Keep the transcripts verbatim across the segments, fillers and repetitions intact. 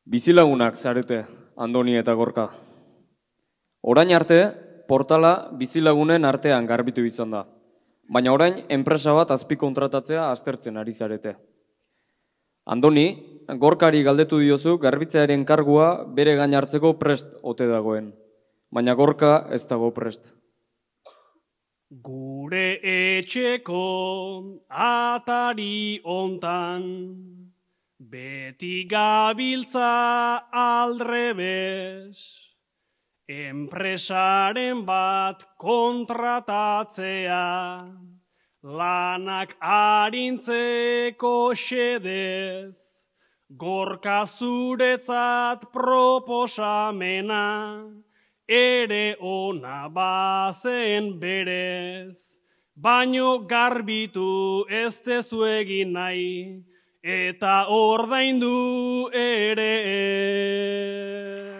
Bizilagunak zarete, Andoni eta Gorka. Orain arte, portala bizilagunen artean garbitu izan da. Baina orain, enpresa bat azpikontratatzea aztertzen ari zarete. Andoni, Gorkari galdetu diozu garbitzearen kargua bere gain hartzeko prest ote dagoen. Baina Gorka ez dago prest. Gure etxeko atari ontan, beti gabiltza aldrebes, enpresaren bat kontratatzea, lanak arintzeko xedez, Gorka zuretzat proposamena, ere ona bazen berez, baino garbitu ez tezu egin nahi, eta ordaindu ere ez.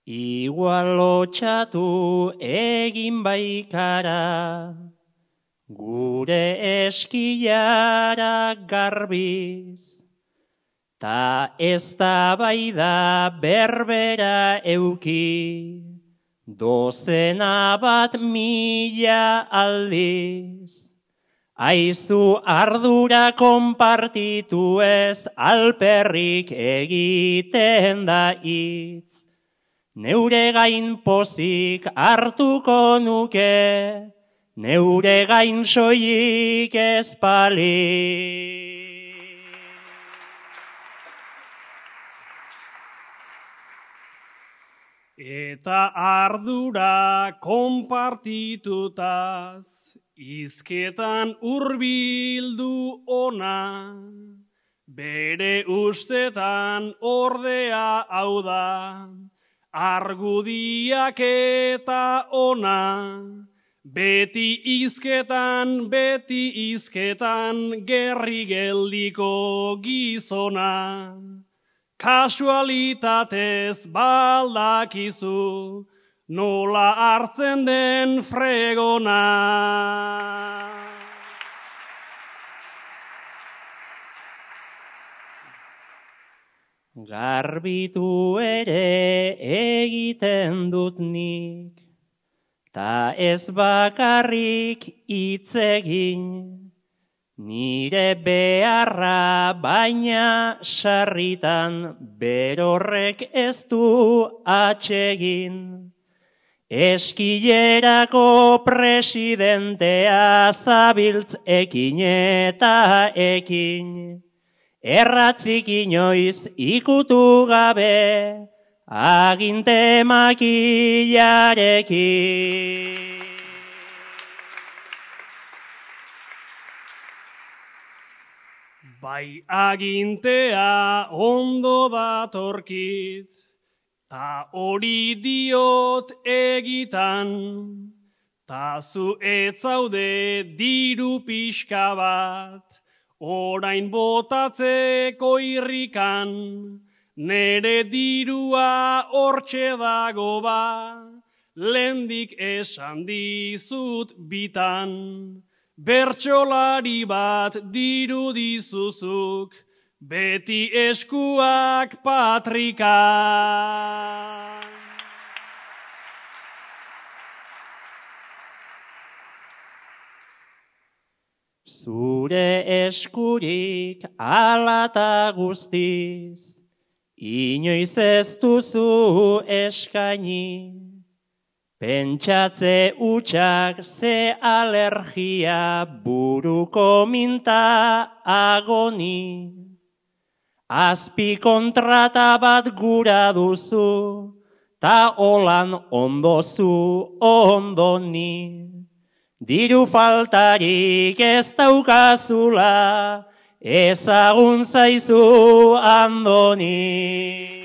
Igual lotxatu egin baikara, gure eskilara garbiz, ta ez da bai da berbera euki, dozena bat mila aldiz. Aizu ardura konpartitu ez alperrik egiten da hitz. Neure gain pozik hartuko nuke, neure gain soilik ez pali. Eta ardura konpartitutaz, izketan hurbildu ona, bere ustetan ordea hau da, argudiak eta ona, beti izketan, beti izketan, gerri geldiko gizona. Kasualitatez baldakizu, nola hartzen den fregona. Garbitu ere egiten dut nik, ta ez bakarrik hitz egin, nire beharra baina sarritan berorrek ez du atsegin. Eskilerako presidentea zabiltz ekin eta ekin, erratzik inoiz ikutu gabe, aginte makilarekin. Bai agintea ondo datorkit, ta hori diot egitan, ta zu etzaude diru pixka bat, orain botatzeko irrikan, nere dirua hortxe dago ba, lehendik esan dizut bitan. Bertsolari bat diru dizuzuk, beti eskuak patrika. Zure eskurik alata guztiz, inoiz ez duzu eskaini, pentsatze utxak ze alergia buruko minta agoni. Azpi kontrata bat gura duzu, ta holan ondozu ondoni. Diru faltarik ez daukazula, ezagun zaizu Andoni.